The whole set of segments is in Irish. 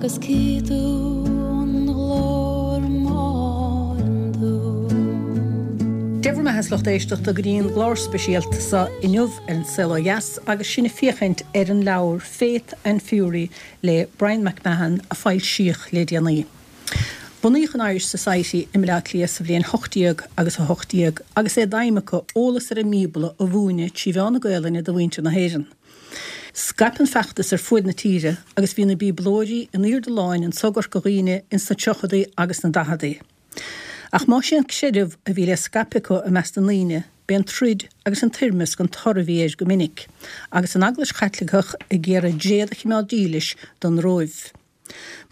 Agus cífidh tú an ghlóir m'álainn dúinn. Dé bhur mbeatha a lucht éisteachta go dtí an gclár speisialta seo inniu ar An Saol Ó Dheas agus sinn ag féachaint ar an leabhar Faith and Fury le Bryan MacMahon a foilsíodh le déanaí. Bunaíodh an Irish Society i mBaile Átha Cliath sa bhliain 18 agus 18 agus é d'aidhm acu eolas ar an mBíobla a mhúineadh trí mheán na Gaelainne do mhuintir na hÉireann. Scaip an feachtas ar fuaid na tíre agus bhí na Bíoblóirí in airde láin anso i gCorca Dhuibhne ins na tríochadaí agus na daicheadaí. Ach más é an creideamh a bhí le scaipeadh acu i measc na ndaoine, b'é an troid agus an toirmeasc an toradh a bhí air go minic, agus an Eaglais Chaitliceach ag iarraidh dréad a chimeád dílis don Róimh.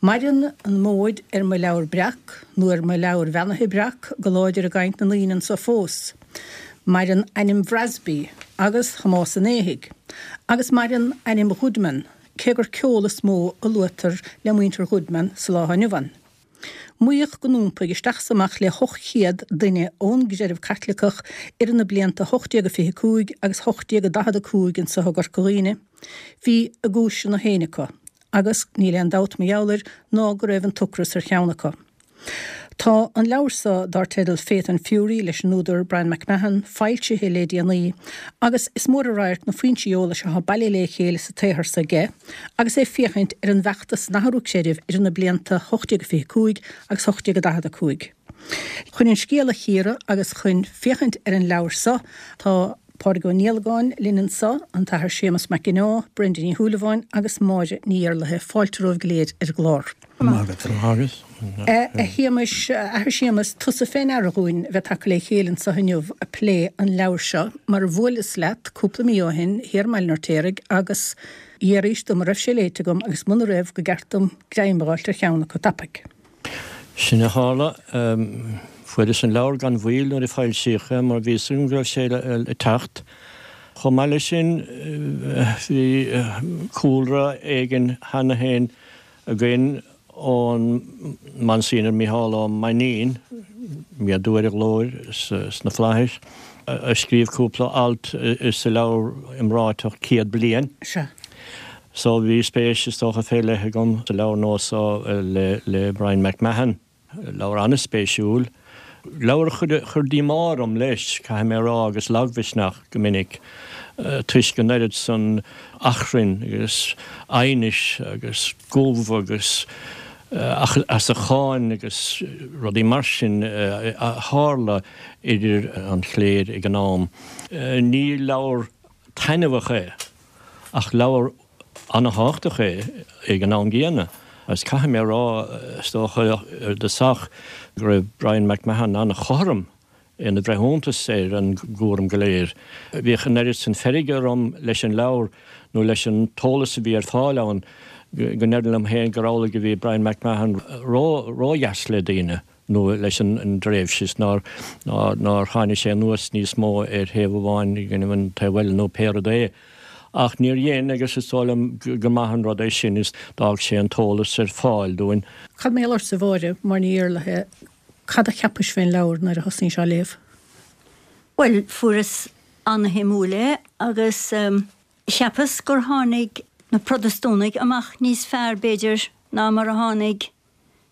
Maireann an mhóid ar mo leabhar breac, nó ar mo leabhar bheannaithe breac, go láidir i gcaint na ndaoine anso fós. Maireann ainm Bhrasby agus Thomáis an Éithigh, agus maireann ainm Ghoodman, cé gur ceol is mó a luaitear le muintir Ghoodman sa lá atá inniu ann. Maíodh go n-iompaigh isteach is amach le 800 duine ón gcreideamh Caitliceach idir na blianta 1825 agus 1845 anso i gCorca Dhuibhne. Bhí a gcúiseanna féin acu. Agus níl aon dabht mar gheall air ná go raibh an t-ocras ar cheann acu. Tá an leabhar so, dár teideal Faith and Fury leis an údar Bryan MacMahon, foilsithe le déanaí agus is mór an radharc na foinsí eolais atá bailithe le chéile sa tsaothar so aige agus é ag féachaint ar an bhfeachtas san athrú creidimh idir na blianta 1825 agus 1845. Chun an scéal a chíoradh agus chun féachaint ar an leabhar so, tá. Pádraig Ó Niallagáin linn anso, an tAthair Séamus Mac Ginneá, Brenda Ní Shúilleabháin agus Máire Ní Iarlaithe. Fáilte romhaibh go léir ar an gclár. Maith agat. A Shéamais, a Athair Séamus, tusa fé ndeara dhúinn a bheith tagtha le chéile anso inniu a' plé an leabhair seo mar bhuaileas leat cúpla mí ó shin thiar i mBaile an Fheirtéaraigh agus dhearbhaís dom an raibh sé léite agam agus muna raibh go gceart dom greim a dh'fháilt ar cheann acu tapaidh. Sin a tharla. Fuaireas an leabhar gan mhoill nuair a foilsíodh é mar bhí fhios agam go raibh sé ag teacht. Chomh maith leis sin bhí cúlra éigin cheana féin againn ón Monsignor Mícheál Ó Mainnín, méadú ar a ghlóir sna flaithis, a scríobh cúpla alt sa leabhar iomráiteach Céad Bliain. Sea. So bhí spéis is dócha fé leith agam sa leabhar nua so le Bryan MacMahon. Leabhar an-spéisiúil. Leabhar a chuir díomá orm leis, caithfidh mé a rá, agus lagmhisneach go minic, toisc an oiread san achrainn agus aighnis agus gomh agus as a cháin agus rudaí mar sin a tharla idir an chléir ag an am. Ní leabhar taitneamhach é. Ach leabhar an-thábhachtach é ag an am gcéanna. Agus caithfidh mé a rá, is dócha, ar dtosach, go raibh Bryan MacMahon an-chothrom ina bhreithiúntas ar an gcúram go léir. Bhíodh an oiread san feirge orm leis an leabhar, nó leis an t-eolas a bhí ar fáil ann, go ndéarfainn liom féin gur amhlaidh a bhí Bryan MacMahon ró-dheas le daoine. nó leis an dtréimhse is nár tháinig sé anuas níos mó ar thaobh amháin i gcoinnibh an taobh eile nó pé rud é. Ach níor dhein agus is dóigh liom gur maith an rud é sin is d'fhág sé an t-eolas ar fáil dúinn. Cad mar gheall ortsa, a Mháire, Máire Ní Iarlaithe, cad a cheapais fén leabhar nuair a thosnaís á léamh? Bhuel, fuaireas ana-shuimiúil é agus cheapas gur tháinig na Protastúnaigh amach níos fearr b'fhéidir ná mar a tháinig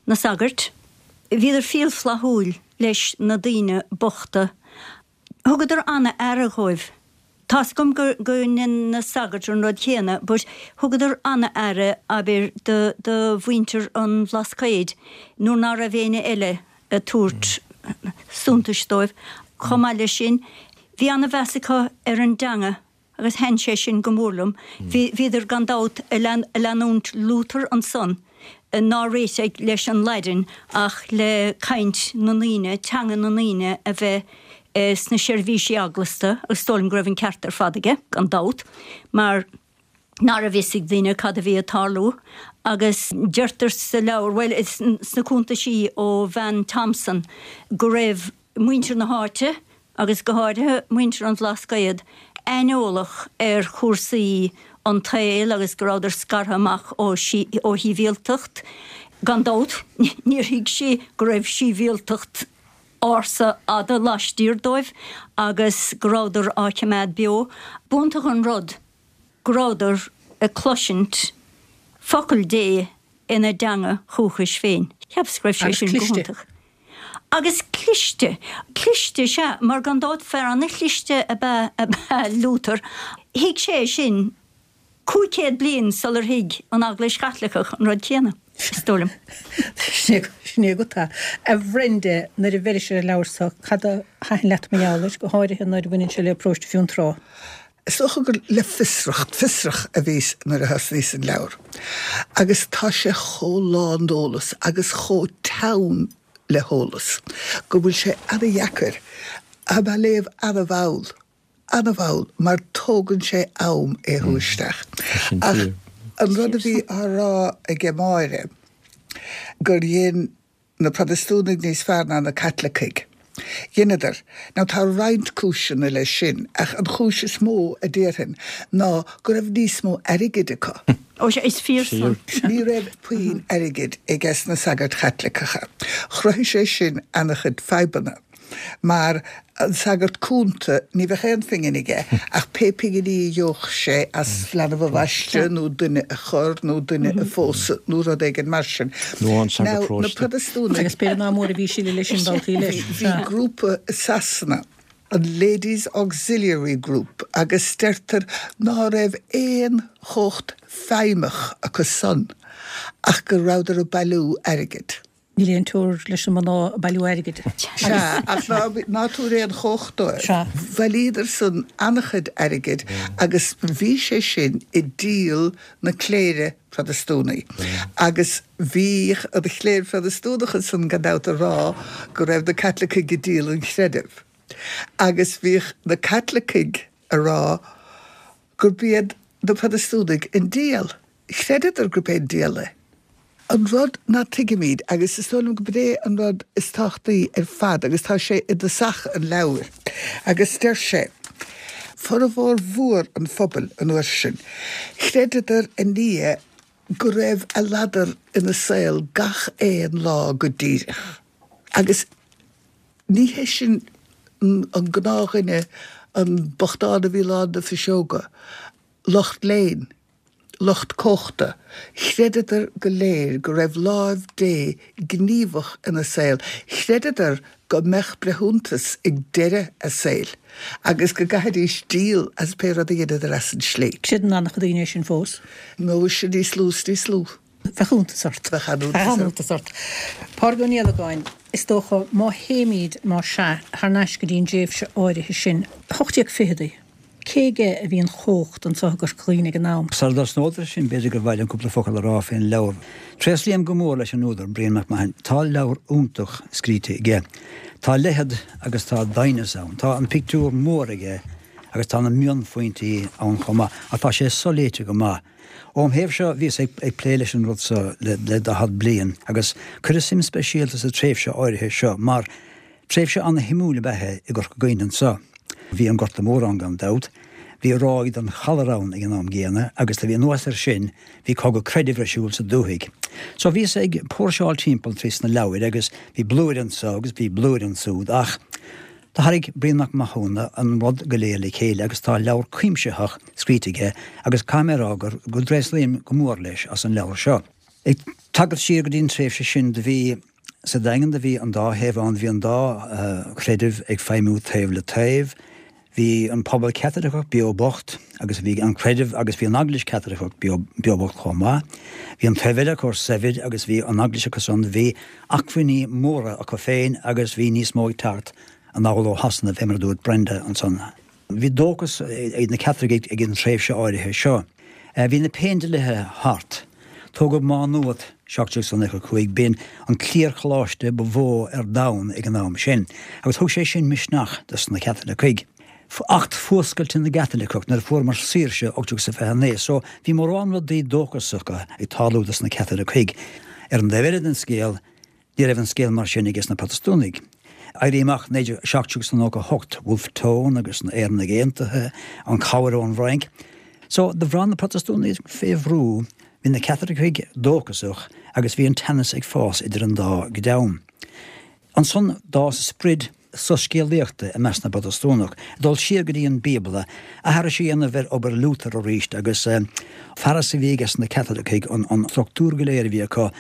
na sagairt. Bhíodar fial flaithiúil leis na daoine bochta. Thugadar ana-aire dhóibh. Tá's agam go go ndein na sagairt an rud chéanna but thugadar ana-aire, abair, do do mhuintir an Bhlascaoid nuair ná raibh éinne eile ag tabhairt suntais dóibh. Chomh maith leis sin, bhí ana-mheas acu ar an dteanga. agus thaitin sé sin go mór liom. Bhíodar gan dabht ag leanúint Luther ansan, nár réitigh leis an Laidin ach le caint na ndaoine, teanga na ndaoine a bheith sna seirbhísí eaglasta, agus is dóigh liom go raibh an ceart ar fad aige, gan dabht, mar ná raibh fhios ag daoine cad a bhí ag tarlú. Agus deirtear sa leabhar, bhuel, sna cuntaisí ó bhean Thompson, go raibh muintir na háite, agus go háirithe muintir an Bhlascaoid, aineolach ar chúrsaí an tsaoil agus go rabhadar scartha amach ó shibhialtacht. Gan dabht, níor thuig sí go raibh sibhialtacht ársa fhada laistiar dóibh agus go rabhadar á choimeád beo. B'iontach an rud go rabhadar ag cloisint focal Dé. ina dteanga dhúchais féin. Cheapas go raibh sé sin go hiontach. Agus cliste. Cliste, sea, mar gan dabht fear ana-chliste ab ea ab ea Luther. Thuig sé sin 500 bliain sular thuig an Eaglais Chaitliceach an rud céanna, is dóigh liom. Sin é agat é. A Bhrenda, nuair a bheiris ar an leabhar so, cad a thaitin leat mar gheall air, go háirithe nuair a bhaineann sé le Paróiste Fionntrá? Is dócha gur le fiosracht, fiosrach a bhíos nuair a thosnaíos an leabhar. Agus tá sé chomh lán d'eolas agus chomh teann le heolas go bhfuil sé ana-dheacair. Tá mé á léamh ana-mhall, ana-mhall, mar tógann sé am é a shú isteach. Ach an rud a bhí á rá aige Máire, gur dhein na Protastúnaigh níos fearr ná na Caitlicigh. Dheineadar. Now tá roinnt cúiseanna leis sin, ach an chúis is mó, a déarfainn, ná go raibh níos mó airgid acu. Ó sea, is fíor san. Ní raibh puinn airgid ages na sagairt Chaitliceacha. Chruthaigh sé sin ana-chuid fadhbanna. Mar an sagart cúnta, ní bheadh aon phingin aige ach pé pinginí a gheobhadh sé as leanbh a bhaisteadh nó duine a chur nó duine a phósadh nó rud éigin mar sin. Nó an sagart Now, na paróiste. Protastúnaigh. Agus b'fhéidir nach mór a bhí siad leis sin babhtaí leis. Bhí grúpa i Sasana, an Ladies Auxiliary Group, agus deirtear ná raibh aon chumhacht feidhmeach acu san ach go rabhadar ag bailiú airgid. Níl aon teora leis na mná ag bailiú airgid. Sea, ach ná tabhair aon chumhacht dóibh. Sea. Bhailíodar san an-chuid airgid agus bhí sé sin i díol na cléire Protastúnaí. Agus bhíodh an chléir Phrotastúnach ansan gan dabht ag rá go raibh na Caitlicigh ag díol an chreidimh. Agus bhíodh na Caitlicigh ag rá gurb iad na Protastúnaigh an diabhal. Chreideadar gurb é an diabhal é. An rud ná tuigimid, agus is dóigh liom gurb é an rud is tábhachtaí ar fad, agus tá sé i dtosach an leabhair, agus deir sé, formhór mhór an phobail an uair sin, chreideadar i nDia go raibh a ladar ina saol gach aon lá go díreach. Agus ní hé sin an gnáthdhuine, an bochtán a bhí lán de phiseoga, lucht léinn, lucht cumhachta, chreideadar go léir go raibh láimh Dé gníomhach ina saol, chreideadar go mbeadh breithiúntas ag deireadh a saoil agus go gcaithfidís díol as pé rud a dheineadar as an slí. Creideann an-chuid daoine é sin fós. Nó is ea níos lú is níos lú. Bheadh iontas ort. Bheadh an-iontas ort. Pádraig Ó Niallagáin, Is dócha, má théimid, má sea, thar n-ais go dtí an dtréimhse áirithe sin, 1820idí, Cé aige a bhí an chumhacht anseo i gCorca Dhuibhne ag an am? Sara dtosnód leis sin, b'fhéidir gur mhaith liom cúpla focal a rá fén leabhar. Tréaslaím go mór leis an údar, Brian Mac Mahon. Tá leabhar iontach scríte aige. Tá leithead agus tá doimhneas ann. Tá an pictiúr mór aige agus tá na mionphointí ann chomh maith, ach tá sé soléite go maith. Óm thaobh seo, bhíos ag plé leis an rud so le 40 bliain agus cuireadh suim speisialta sa tréimhse áirithe seo mar Tréimhse ana-shuimiúil ab ea é i gCorca Dhuibhne anso. Bhí an Gorta Mór ann gan dabht, bhí ráig den cholera ann ag an am gcéanna agus do bhí anuas air sin bhí cogadh creidimh ar siúl sa dúthaigh. So bhíos ag póirseáil timpeall trí sna leabhair agus bhí blúire anso agus bhí blúire ansúd ach do tharraing Brian Mac Mathúna an rud go léir le chéile agus tá leabhar cuimsitheach scríte aige agus caithfidh mé a rá gur go dtréaslaím go mór leis as an leabhar seo. Ag tagairt siar go dtí an tréimhse sin do bhí Sa Daingean do bhí an dá thaobh ann, bhí an dá chreideamh ag feidhmiú taobh le taobh. Bhí an pobal Caitliceach beo bocht agus bhí an creideamh agus bhí an Eaglais Chaitliceach beo bocht chomh maith. Bhí an taobh eile acu saibhir agus bhí an Eaglais acu san, bhí acmhainní móra acu féin agus bhí níos mó ag teacht anall ó Shasana, fé mar a dúirt Brenda ansan. Bhí dóchas ag na Caitlicigh ag an tréimhse áirithe seo. Bhí na Péindlíthe thart. Tógadh Má Nuat, 1795, b'in an cliarcholáiste ba mhó ar domhan ag an am sin, agus thug sé sin misneach dos na Caitlicigh. Acht Fuascailte na gCaitliceach, nuair a fuaireamar saoirse, 1829, so bhí mórán rudaí dóchasacha ag tarlú dos na Caitlicigh. Ar an dtaobh eile den scéal, Ní raibh an scéal mar sin ages na Protastúnaigh. Éirí Amach 1798, Wolfe Tone agus na Éireannaigh Aontaithe, an chabhair ón bhFrainc. So, do bhraith na Protastúnaigh fé bhrú, bhí na Caitlicigh dóchasach agus bhí an teannas ag fás idir an dá dhream. Ansan d'fhás sprid. soiscéalaíochta i measc na bProtastúnach, ag dul siar go dtí an Bíobla, aithris a dhéanamh ar obair Luther arís agus fearas a bhí aige sna Caitlicigh, an struchtúr go léir a bhí acu,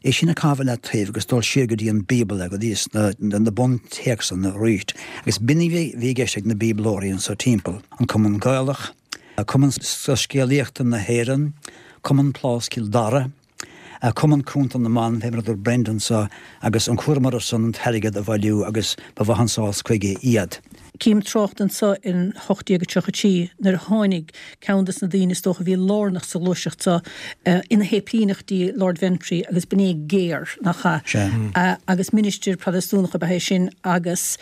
é sin a chaitheamh i leataobh agus dul siar go dtí an Bíobla, go dtí na buntéacsanna arís. Agus b'in a bhí i gceist ag na Bíoblóirí anso timpeall, an Cumann Gaelach, Cumann Soiscéalaíochta na hÉireann, Cumann Plás Chill Dara, Cumann Cúnta na mBan, fé mar a dúirt Brendan anso, agus an cúram orthu san an t-airgead a bhailiú agus ba mhaith an sás chuige iad. Cím trácht anso in 1833 nuair a tháinig ceann des na daoine is dócha a bhí lárnach sa ghluaiseacht seo ina shéiplíneach dtí Lord Ventry agus b'in é Gare, nach ea? Sea. Agus ministir Protastúnach ab ea é sin agus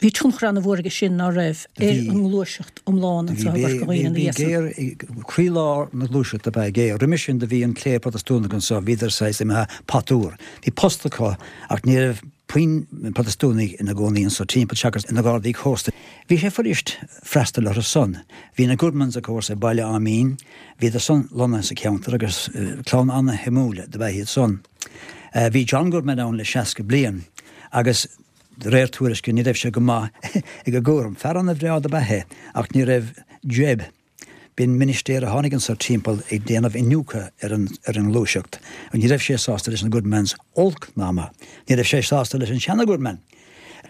bhí tionchar ana-mhór aige sin, ná raibh, ar an ngluaiseacht iomlán anso i gCorca Dhuibhne ina Bhí dhiaidh san. Gare i gcroílár na gluaiseachta ab ea Gare. Roimhe sin do bhí an chléir Protastúnach anso, bhíodar saghas imithe patuar. Bhí post acu ach ní raibh puinn Protastúnaigh ina gcónaí anso timpeall seachas na Gardaí Cósta. Bhí sé fuirist freastal orthu san. Bhí na Goodmans of course ag Baile Átha Mín, bhíodar san lonnaithe sa cheantar agus clann ana-shuimiúil dob ea iad san. Bhí John Goodman ann le 60 bliain agus de réir tuairisce ní raibh sé go maith ag an gcúram. Fear ana-bhreá dob ea é ach ní raibh Jebb, b'in ministéir a tháinig anso timpeall ag déanamh iniúchadh ar an ar an ngluaiseacht, ní raibh sé sásta leis na Goodmans, olc ná maith. Ní raibh sé sásta leis an seana-Goodman.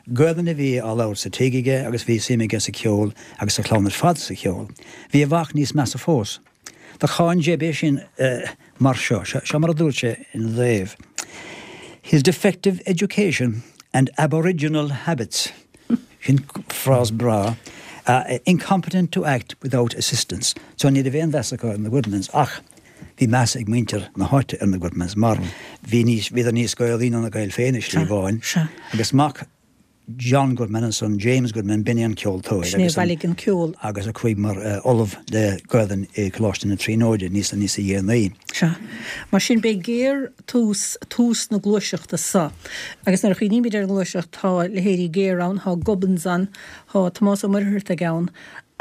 Gaelainn a bhí á labhairt sa tigh aige agus bhí suim aige sa cheol agus sa chlann ar fad sa cheol. Bhí a mhac níos measa fós. Do cháin Jebb é sin mar seo, seo mar a dúirt sé ina dtaobh, His defective education and aboriginal habits, sin frás breá, incompetent to act without assistance. So ní raibh aon mheas acu ar na Goodmans ach bhí meas ag muintir na háite ar na Goodmans mar bhí níos, bhíodar níos Gaelaí ná na Gaeil féin i slí amháin agus mac John Goodman ansan, James Goodman, b'in é an ceoltóir Sin é a bhailigh an ceol. agus a chuaigh mar ollamh le Gaelainn i Coláiste na Tríonóide níos níosa dhéanaí. Sea. Mar sin, b'é Gare tús, tús na gluaiseachta so. Agus nuair a chuimhnímid ar an ngluaiseacht, tá leithéidí Gare ann, tá Gubbins ann, tá Tomás Ó Muircheartaigh ann.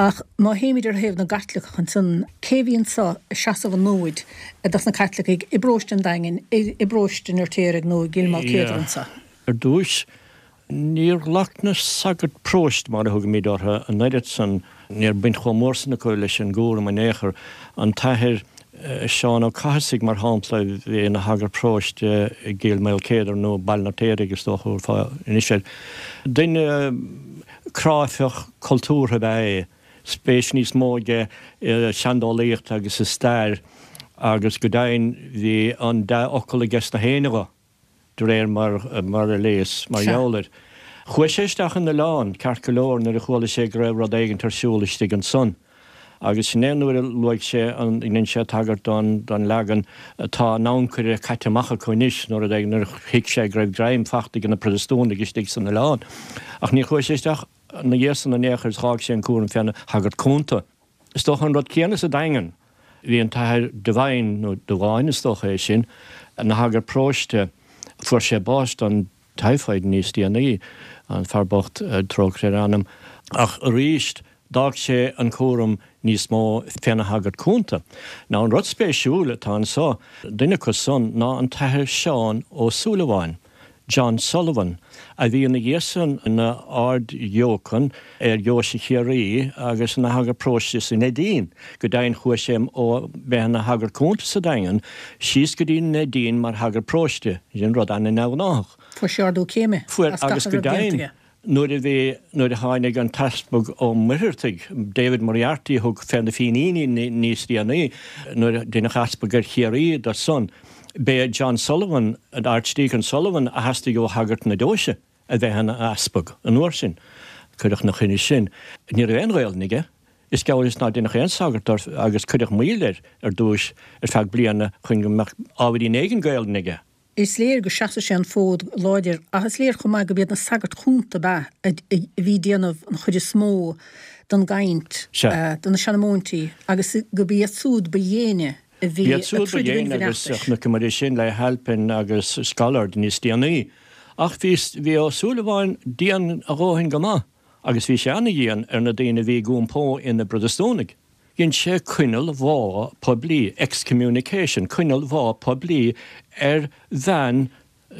Ach má théimid ar thaobh na gCaitliceach ansan, cé a bhí anso ag seasamh an fhóid dos na Caitlicigh i bparóiste an Daingin, i bparóiste an Fheirtéaraigh nó i gCill Maoilchéadair anso? Ar dtúis, níor ghlac na sagairt próiste, mar a thugaimid orthu, an oiread san, ní raibh baint chomh mór san acu leis an gcúram in aon chor. An tAthair Seán Ó Cathasaigh, mar shampla, a bhí ina shagart próiste i gCill Maoilchéadair, nó Baile an Fheirtéaraigh is dócha a thabharfá anois air. Duine cráifeach cultúrtha ab ea é, spéis níos mó aige i seandálaíocht agus i stair agus go deimhin bhí an dea-fhocal aige sna héinne dho. de réir mar a léas mar gheall air. Chuaigh sé isteach in oileán, ceart go leor, nuair a chuala sé go raibh rud éigint ar siúl istigh ansan. Agus sin é nuair a luaigh sé an, dhein sé tagairt don, don leagan tá an ancaire caite amach acu anois, nó rud éigin, nuair a thuig sé go raibh greim fachta ag na Protastúnaigh istigh san oileán. Ach níor chuaigh sé isteach ina dhiaidh san in aon chor is dh'fhág sé an cúram féna shagart cúnta. Is dócha an rud céanna sa Daingean. Bhí an tAthair Devine, nó Devine is dócha é sin, ina shagart paróiste. Fuair sé bás don typhoid níos déanaí, an fear bocht, trócaire ar a anam. Ach arís, d'fhág sé an cúram níos mó féna shagart cúnta. Now an rud spéisiúil atá anso, duine acu san ná an tAthair Seán Ó Súilleabháin. John Sullivan, a bhí ina dhiaidh san ina Ard-Dheochan ar Dheoise Chiarraí agus ina shagart paróiste sa Neidín. Go deimhin chuaigh sé ó bheith ina shagart cúnta sa Daingean síos go dtí an Neidín mar shagart paróiste, sin rud an-neamhghnáthach. Fuair sé ardú céime Fuair, as gach agus a go raibh déanta deimhin aige. nuair a bhí, nuair a tháinig an tEaspag Ó Muircheartaigh, David Moriarty a thug fé na Fíníní níos déanaí, nuair a deineadh Easpag ar Chiarraí de san, b'é John Sullivan, an Archdeacon Sullivan a theastaigh ó shagairt na deoise a bheith ina easpag an uair sin. Cuireadh 'na choinne sin. Ní raibh aon Ghaelainn aige. Is geall is nár deineadh aon sagart de agus cuireadh moill air ar dtúis ar feadh bliana chun go mbeadh ábhairín éigin Gaelainne aige. Is léir go seasadh sé an fód go láidir ach is léir chomh maith gurb iad na sagairt chúnta ab ea a bhí ag déanamh an chuid is mó den gcaint, de na seanmóintí agus gurb iad súd ba dhéine a bhí B'iad ag súd ba troid i dhéine gcoinnibh an agus fheachtais. chonaiceamar é sin le Halpin agus Scollard níos déanaí. Ach bhí bhí Ó Súilleabháin dian a dhóthain go maith agus bhí sé ana-dhian ar na daoine a bhí ag iompó ina bProtastúnaigh. Dhein sé coinneal bhá poiblí, excommunication, coinneal bhá poiblí ar bhean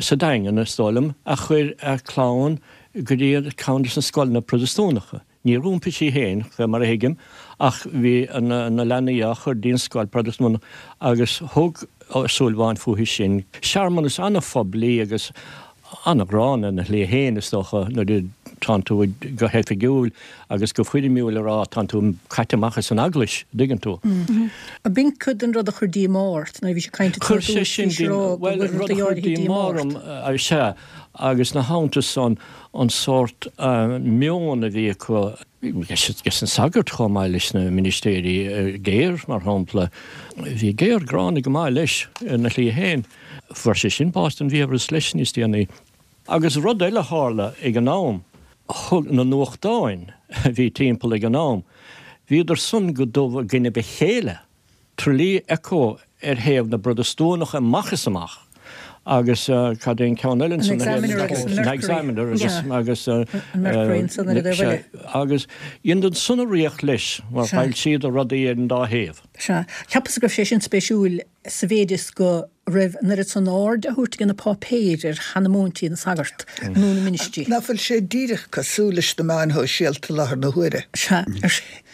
sa Daingean, is dóigh liom, a chuir a clann go dtí ceann de na scoileanna Protastúnacha. Níor iompaigh sí féin, fé mar a thuigim, ach bhí na leanaí á chur dtí an scoil Protastúnach agus thug Ó Súilleabháin fúithi sin. Searmanas an-phoiblí agus an-ghránna ina shlí féin, is dócha, nuair a tánn tú go hoifigiúil agus go foirmiúil a rá tánn tú caite amach as an Eaglais, an dtuigeann tú. Ab in cuid den rud a chuir díomá ort nuair a bhís ag caint Chuir sé sin bhuel, rud a chuir díomá orm, sea, agus ina theannta san, an sórt meon a bhí acu leis na sagairt chomh maith leis na ministéirí, Gayer mar shampla. Bhí Gayer gránna go maith leis ina shlí féin. Fuair sé sin bás den bhfiabhras leis níos déanaí. Agus rud eile a tharla ag an am, thug na nuachtáin a bhí timpeall ag an am, bhíodar san go dubh i gcoinnibh a chéile. Tralee Echo ar thaobh na bProtastúnach amach is amach agus cad é an ceann eile ansan? An Examiner agus an Mercury. Examiner agus an Mercury ansan ar an dtaobh eile. Agus dheineadar san urraíocht leis mar fhoilsíodar rudaí ar an dá thaobh. Sea. Cheapas go raibh sé sin spéisiúil sa mhéid is go raibh an oiread san aird á thabhairt ag na páipéir ar chanamúintí na sagart nó na ministrí. Nach bhfuil sé díreach cosúil leis na meáin shóisialta i láthair na huaire? Sea.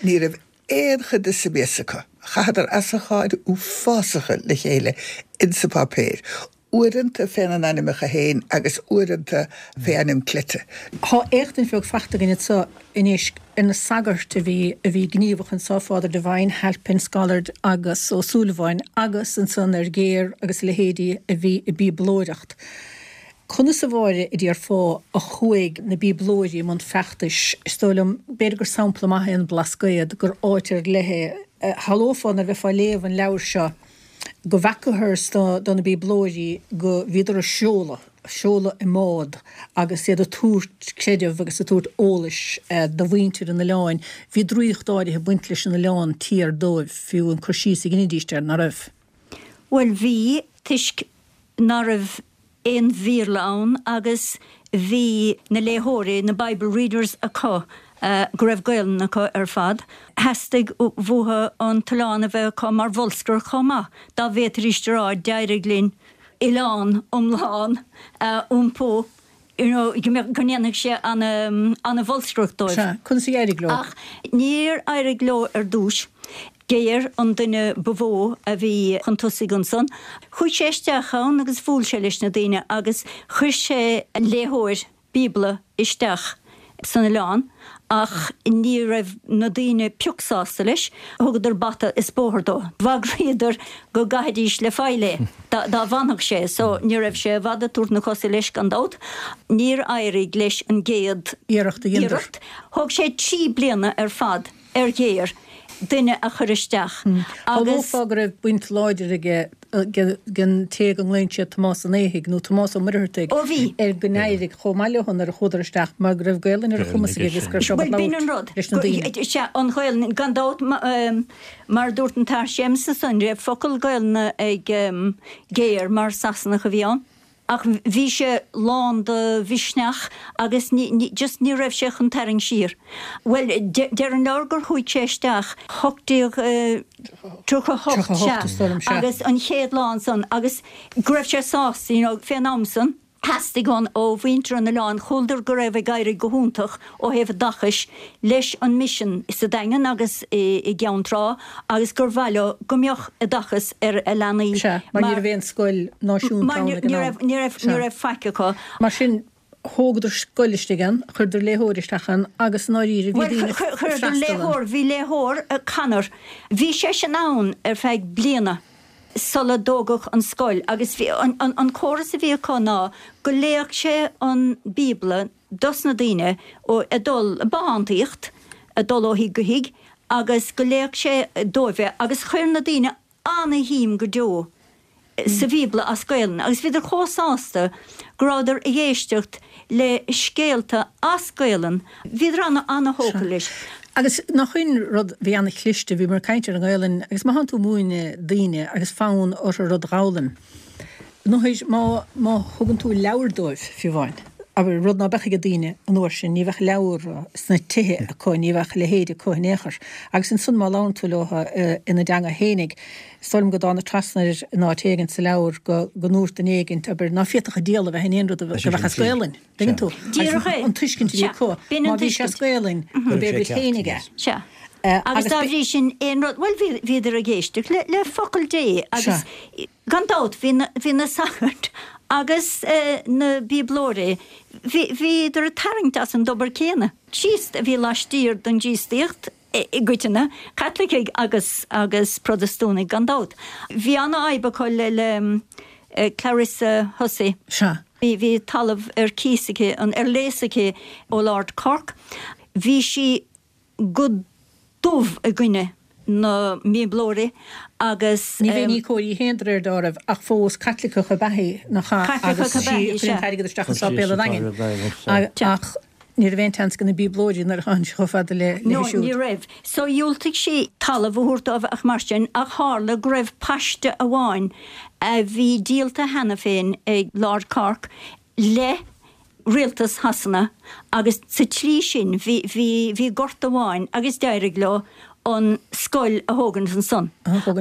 Ní raibh aon chuid de sa mias acu. Chaitheadar asacháin uafásacha le chéile insa pháipéir, uaireanta féna n-ainmneacha féin agus uaireanta fé ainm cleite. Tá éachtaint bheag fachta againn anso anois ar na sagairt a bhí a bhí gníomhach anso, Father Devine, Halpin, Scollard agus Ó Súilleabháin agus ansan ar Ghéar agus a leithéidí a bhí ag bíoblóireacht. Conas, a Mháire, a déarfá, a chuaigh na bíoblóirí i mbun feachtais? Is dóigh liom, b'fhéidir gur sampla maith é an Blascaod, gur áit ar leith é. Shamhlófá nuair a bheifeá ag léamh an leabhair seo go bhfeacathas do na bíoblóirí go bhíodar ag seoladh, seoladh i mbád agus iad ag tabhairt creideamh agus ag tabhairt eolais do mhuintir an oileáin. Bhí draíocht áirithe ag baint leis an oileán tiar dóibh, fiú an cur síos a dheinidíst air, ná raibh? Bhuel, bhí, toisc ná raibh aon Bhéarla ann agus bhí na léitheoirí, na Bible readers acu go raibh Gaolainn acu ar fad. Theastaigh uathu an t-oileán a bheith acu mar bholscaireacht chomh maith, dá bhféadfaidís a rá d'éirigh linn oileán iomlán a iompú, you know, go mbeadh, go ndéanfadh sé ana-bholscaireacht dóibh. Sea, conas a d'éirigh leo? Ach níor éirigh leo ar dtús. Gayer an duine ba mhó a bhí chun tosaigh ansan. Chuaigh sé isteach ann agus bhuail sé leis na daoine agus chuir sé léitheoir Bíobla isteach san oileán ach ní raibh na daoine pioc sásta leis. Thugadar bata is bóthar dó. Bhagraíodar go gcaithfidís le faill é dá bhfanfadh sé so ní raibh sé i bhfad ag tabhairt na cosa leis gan dabht. Níor éirigh leis an gcéad iarracht a dheineadar. Thóg sé trí bliana ar fad. ar Ghéar duine a chur isteach agus. Shamhlófá go raibh baint láidir aige den té go nglaonn siad Tomás an Éithigh, nó Tomás Ó Muircheartaigh, Ó bhí. ar go n-éirigh chomh maith leo nuair a chuadar isteach mar go raibh Gaelainn ar a chumas aige agus go raibh sé ábalta labhairt leis na daoine. Sea, an Ghaelainn, gan dabht, mar a dúirt an tAthair Séamus ansan, ní raibh focal Gaelainne ag Géar mar Sasanach a bhí ann. Ach bhí sé lán de mhisneach agus ní, just ní raibh sé chun tarraingt siar. Bhuel, deir an leabhar gur chuaigh sé isteach 1838, sea, agus an chéad lá ansan agus go raibh sé sásta, you know, fén am san. Theastaigh ó mhuintir an oileáin, chualadar go raibh ag éirí go hiontach ó thaobh oideachais leis an misean sa Daingean agus i gCeann Trá agus gur mhaith leo go mbeadh oideachas ar a leanaí. Sea, mar ní raibh aon scoil náisiúnta ann ag an am. Ní raibh, ní raibh faic acu. Mar sin, thógadar scoil istigh ann, chuireadar léitheoir isteach ann agus i ndáiríre bhí daoine ag freastal ann. Bhuel, chuireadar léitheoir, bhí léitheoir, Connor, bhí seisean ann ar feadh bliana sula dtógadh an scoil agus bhí, an córas a bhí acu ná go léadh sé an Bíobla, dos na daoine ag dul bothántaíocht, ag dul ó thigh go thigh agus go léadh sé dóibh é agus chuir na daoine ana-shuim go deo sa Bhíobla as Gaelainn agus bhíodar chomh sásta go rabhadar ag éisteacht le scéalta as Gaelainn, bhíodar ana-ana-thógtha leis. Agus nach in rud bhí ana-chliste, bhíomar ag caint ar an nGaelainn agus má thánn tú ag múineadh daoine agus fonn orthu rud dh'fhoghlaim, Nó má, má thugann tú leabhar dóibh, fiú amháin. Abair, rud ná beadh ag daoine an uair sin, ní bheadh leabhra sna tithe acu, ní bheadh a leithéid acu in aon chor. Agus ansan má labhrann tú leo ina dteanga fhéinig, is dóigh liom go dtána trasna air in áit éigin sa leabhar go go ndúirt duine éigint, abair, ná féadfadh an diabhal a bheith in aon rud a bheadh as Gaolainn. Tuigeann tú? Díreach é. An tuiscint a bhí acu, má bhí sé as Gaolainn, gurb é a gcuid féinig é. Sea. Agus dá bhrí sin, aon rud, bhuel, bhíodar ag éisteacht le focal Dé agus gan dabht bhí na, bhí na sagairt agus na bíoblóirí, bhí, bhíodar ag tarraingt as an dtobar céanna. Críost a bhí laistiar den gCríostaíocht i gcoitinne, Caitlicigh agus agus Protastúnaigh gan dabht. Bhí an-fhadhb acu le le Clarissa Hussey. Sea. Bhí bhí talamh ar cíos aici, an ar léas aici ó Lord Cork. Bhí sí go dubh i gcoinne na mBíoblóirí agus. Ní bheinn íocóir í féin de réir dealraimh ach fós Caitliceach ab ea í, nach ea? Caitliceach ab ea í, sea. Chuir an t-airgead isteach i sáipéal an Daingin. Ach ní raibh aon tseans ag na Bíoblóirí nuair a tháinig sé chomh fada léi No, siúd. ní raibh. So dhiúltaigh sí talamh a thabhairt dóibh ach mar sin, ach tharla go raibh paiste amháin a bhí díolta cheana féin ag Lord Cork le rialtas Shasana agus sa tslí sin bhí, bhí, bhí gort amháin agus d'éirigh leo an scoil a thógaint ansan.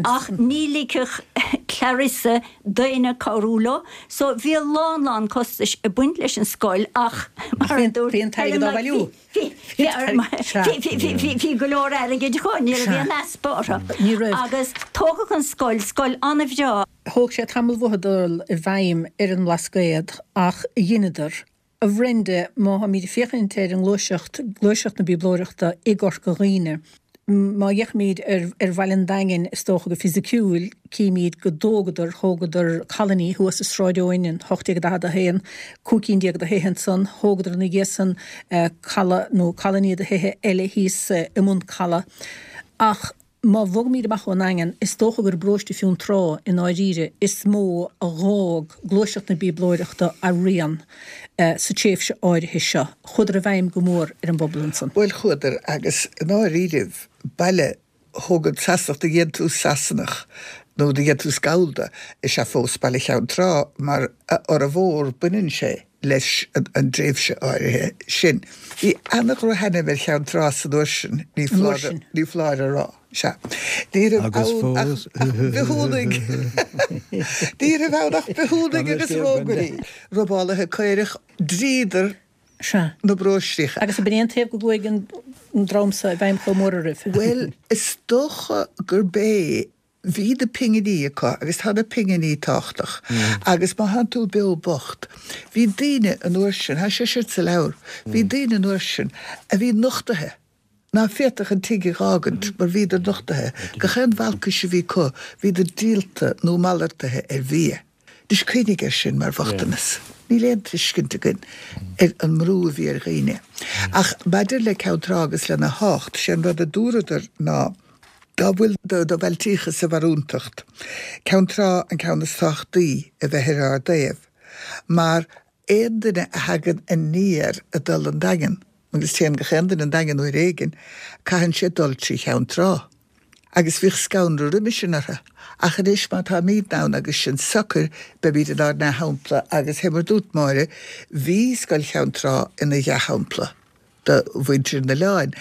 Ach ní ligfeadh Clarissa d'éinne cabhrú leo so bhí a lán, lán costais ag baint leis an scoil ach mar a dúirt Bhí an t-airgead á bhailiú. Bhí, bhí, bhí, bhí, bhí go leor airgid acu, ní raibh aon easpa orthu. Ní raibh. Agus tógadh an scoil, scoil an-bhreá. Thóg sé tamall uathu dul i bhfeidhm ar an mBlascaod ach dheineadar. A Bhrenda, má tháimid ag féachaint ar an ngluaiseacht, gluaiseacht na Bíoblóireachta i gCorca Dhuibhne, má fhéachaimid ar ar bhaile an Daingin, is dócha go fisiciúil, címid go dtógadar, thógadar colony thuas i Sráid Eoin in 1841, 15 cinn de thithe ansan, thógadar ina dhiaidh san caladh nó colony de thithe eile thíos i mBun Caladh. Ach. Má bhogaimid amach ón nDaingean, is dócha gur i bparóiste Fionntrá, i ndáiríre, is mó a dh'fhág gluaiseacht na Bíoblóireachta a rian sa tréimhse áirithe seo. Chuadar i bhfeidhm go mór ar an bpobal ansan. Bhuel, chuadar, agus i ndáiríribh, baile thógadh Sasanach, de dhéantús Sasanach nó de dhéantús Gallda is ea fós Baile Cheann Trá, mar a fhormhór baineann sé leis an dtréimhse áirithe sin. Bhí ana-dhrochainm ar Cheann Trá san uair sin, ní foláir a rá. Sea. Ní raibh ann ach bithiúnaigh. Ní raibh ann ach bithiúnaigh agus rógairí, robálaithe caorach. Dhríodar na bparóistríocha. Agus ab in é an taobh go gcuaigh an dream so i bhfeidhm chomh mór oraibh? Bhuel, is dócha gurb é. Bhí na pinginí acu agus tá na pinginí tábhachtach agus má thánn tú beo bocht, bhí daoine an uair sin, tá sé sin sa leabhar, bhí daoine an uair sin a bhí nochtaithe, ná féadfadh an tigh a dh'fhágaint mar bhíodar nochtaithe, gach aon bhalcais a bhí acu, bhíodar díolta nó malartaithe ar bhia. Anois cuimhnigh air sin mar bhochtanas. Níl aon tuiscint againn ar an mbrú a bhí ar dhaoine. Ach maidir le Ceann Trá agus lena thábhacht, sé an rud a dúradar ná, dá bhfuil do bhailtíocha sa bharúntacht, Ceann Trá an ceann is tábhachtaí a bheith ar ár dtaobh, mar aon duine a thagann aniar ag dul 'on Daingean, agus téann gach aon duine 'on Daingean uair éigin, caitheann sé dul trí Cheann Trá. Agus bhíodh scanradh roimhe sin orthu. Ach anois má táimídne ann agus sinn socair, beimíd inár ndea-shampla agus fé mar dúirt Máire, bhí Scoil Cheann Trá ina dhea-shampla do mhuintir an oileáin.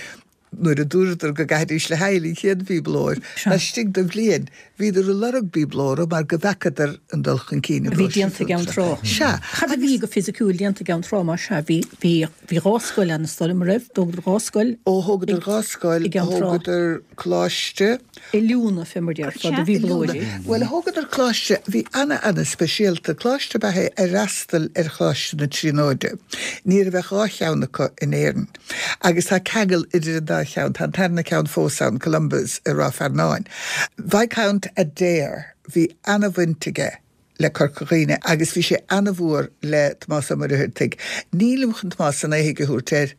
Nuair a dúradar go gcaithfidís le haghaidh an chéad bhíoblóir, laistigh de bhliain, bhíodar ag lorg bíoblóra mar go bhfeacadar an dul chun cinn i bhí déanta i gCeann Trá. Sea. Cad a bhí go fisiciúil déanta i gCeann Trá, más ea? Bhí, bhí, bhí dhá scoil ann, is dóigh liom, an raibh? D'thógadar dhá scoil. Ó, thógadar dhá scoil, i gCeann Trá. thógadar coláiste. Oiliúna, fé mar déarfá, do bhíoblóirí. Bhuel, thógadar coláiste a bhí ana, ana speisialta. Coláiste ab ea é a fhreastail ar Choláiste na Tríonóide. Ní raibh ach dhá cheann acu in Éirinn. Agus tá ceangal idir an dá cheann. Tá an tarna ceann fós ann, Columba's i Ráth Fearnáin. Viscount Adare, bhí ana-bhaint aige le Corca Dhuibhne agus bhí sé ana-mhór le Tomás Ó Muircheartaigh. Nílim chun Tomás an Éithigh a thabhairt air.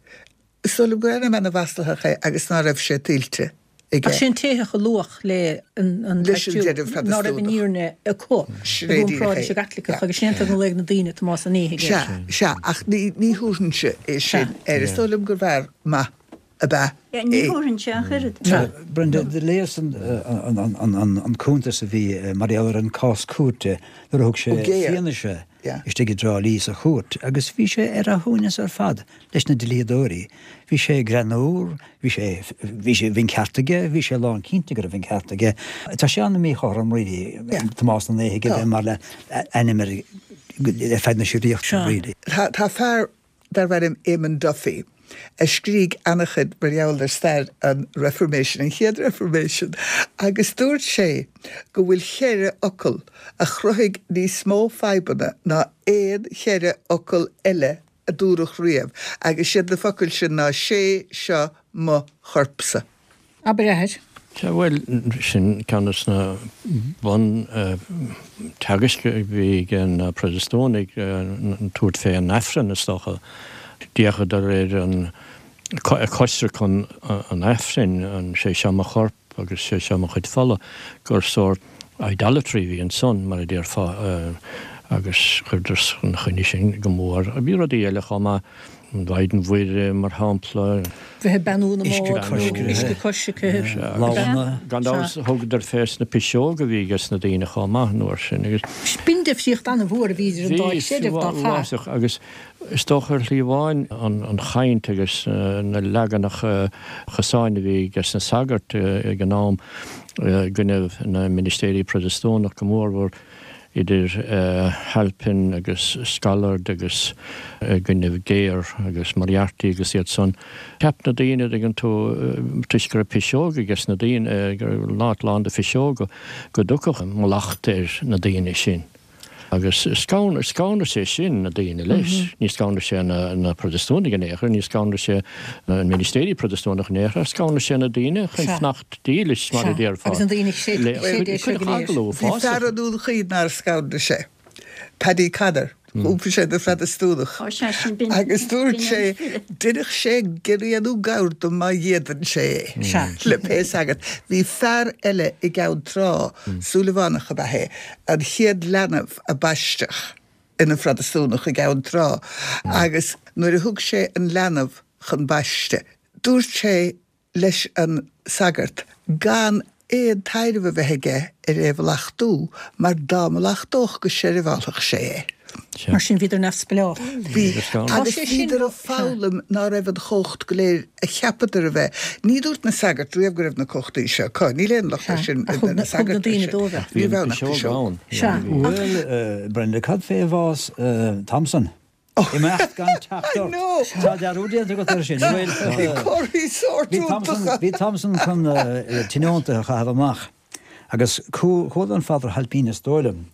Is dóigh liom gur ainm ana-mhaslaitheach é agus ná raibh sé tuillte. aige. Ach sé an t-éitheach a luadh le an Leis an deireadh ná raibh an fhírinne acu Sin é i gcomparáid leis an gCaitliceach agus sin é an tuige a nglaoigh na daoine Tomás an Éithigh air. Sea, sea, ach ní ní thabharfainnse é sin air. Is dóigh liom gur bhfear maith. ab ea é. Ní thabharfainnse ach oiread. Brenda, do léas an cuntas a bhí mar gheall ar an cás cúirte nuair a thug sé fianaise istigh i dTrá Lí sa chúirt agus bhí sé ar a shuaimhneas ar fad leis na dlíodóirí. Bhí sé greannmhar, bhí sé, bhí sé, bhí an ceart aige, bhí sé lánchinnte go raibh an ceart aige. Tá sé an-mhíchothrom really, Tomás na nÉithigh a bheith mar ainm ar ar feadh na síoraíochta really. Tá fear darbh ainm Eamon Duffy a scrígh ana-chuid mar gheall ar stair an Reformation, an chéad Reformation, agus dúirt sé go bhfuil cheithre fhocal a chruthaigh níos mó fadhbanna ná aon cheithre fhocal eile a dúradh riamh, agus siad na focail sin ná 'Sé seo mo chorpsa. Abair, a Athair. Sea, bhuel, sin ceann de na bun teagaisc a bhí ag na Protastúnaigh, tabhairt fé an Aifreann, is dócha. D'fhéachadar ar an coisreacan an Aifrinn, an 'Sé seo mo chorp agus sé seo mo chuid fola, gur sórt idolatry a bhí ansan, mar a déarfá, agus chuireadar ina choinne sin go mór. Bhí rudaí eile chomh maith. An Mhaighdean Mhuire, mar shampla. Bheith ag beannú na mbord nó uisce coisricthe. Gan dabht thugadar fés na piseoga a bhí ages na daoine chomh maith an uair sin agus. B'in difríocht an-mhór a bhí idir an dá chreideamh dá chaith. Bhí, agus is dócha ar shlí amháin an chaint agus na leaganacha chosáin a bhí ages na sagairt ag an am i gcoinnibh na ministéirí Protastúnach go mórmhór. idir Halpin agus Scollard agus i gcoinnibh Gare agus Moriarty agus iad san. Cheap na daoine, an dtuigeann tú, toisc go raibh piseoga ages na daoine, go raibh an áit lán de phiseoga, go dtiocfadh mallacht ar na daoine sin. Agus scanraigh sé sin na daoine leis. Ní scanraigh sé na Protastúnaigh in aon chor, ní scanraigh sé na ministéirí Protastúnacha in aon chor, ach scanraigh sé na daoine chun fanacht dílis, mar a déarfá. Agus na daoine a chreid é seo go léir. Bhí fear i nDún Chaoin nár scanraigh sé, Paddy Connor, d'iompaigh sé ina Phrotastúnach agus dúirt sé, déarfadh sé giorria nó gabhar dom má d'fhéadfainn sé é, le pé sagart. Bhí fear eile i gCeann Trá, Súilleabhánach ab ea é, an chéad leanbh a baisteadh ina Phrotastúnach i gCeann Trá agus nuair a thug sé an leanbh chun baiste, dúirt sé leis an sagart gan aon taidhreamh a bheith aige ar é a mhallachtú mar dá mallachtódh go seirbheálfadh sé é. Mar sin bhíodar neamhspleách. Bhí, agus bhíodar ag foghlaim ná raibh an chumhacht go léir a cheapadar a bheith. Ní dúirt na sagairt riamh go raibh na cumhachtaí seo acu. Níl aon locht air sin ar na sagairt air sin. Ní raibh ann ach piseog. Bhuel, Brenda, cad fé bhás Thompson? Imeacht gan teacht ort. Tá dearúd déanta agat air sin, an bhfuil? Bhí comharthaí sóirt iontacha. Bhí Thompson chun tionóntaithe a chaitheamh amach agus chuala an Father Hailpín is dóigh liom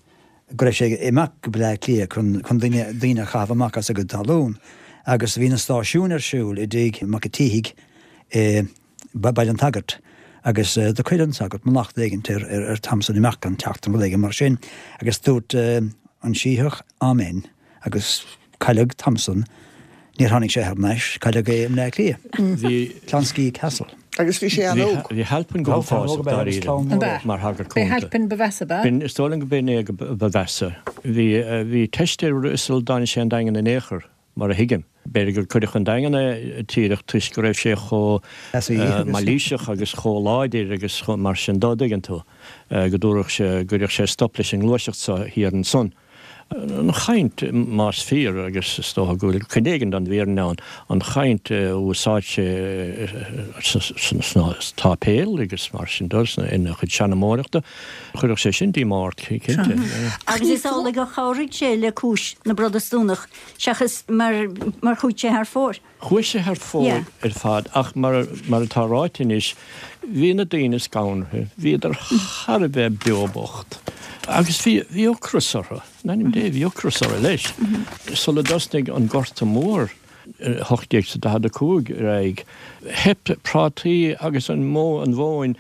go raibh sé ag imeacht go Bleá Cliath chun daoine a chaitheamh amach as a gcuid talún agus bhí na stáisiúin ar siúl i dtigh Mac a' tSíthigh i Baile an tSagairt agus do chuir an sagart mallacht éigint ar Thompson imeacht gan teacht nó rud éigin mar sin agus dúirt an Sítheach Amen. Agus cailleadh Thompson, níor tháinig sé thar n-ais, cailleadh é i mBleá Cliath. Bhí. Clonskeagh Castle. Agus bhí sé an-óg. Bhí Halpin go huafásach dáiríre mar shagart cúnta. B'é Halpin ba mheasa, ab ea? B'in, is dóigh liom go b'in é ba mheasa. Bhí, bhí teist air sula dtáinig sé 'on Daingean in aon chor, mar a thuigim. B'fhéidir gur cuireadh chun Daingean é díreach toisc go raibh sé chomh mailíseach agus chomh láidir agus chomh mar sin dó, an dtuigeann tú, go dtabharfadh sé, go gcuirfeadh sé stop leis an ngluaiseacht seo thiar ansan. An chaint, más fíor, agus is dócha go bhfuil cuid éigin den bhfírinne ann, an chaint a úsáid sé sna sáipéil agus mar sin de, ina chuid seanmóireachta, chuirfeadh sé sin díomá ort, cinnte. Agus is amhlaidh gur chabhraigh sé le cúis na bProtastúnach seachas mar chuaigh sé thar fóir. Chuaigh sé thar fóir ar fad ach mar atá ráite anois, bhí na daoine scanraithe, bhíodar thar a bheith beo bocht agus bhí ocras orthu, in ainm Dé, bhí ocras orthu leis. Sula dtosnaigh an Gorta Mór i 1845 ar aghaidh, theip prátaí agus an mhóin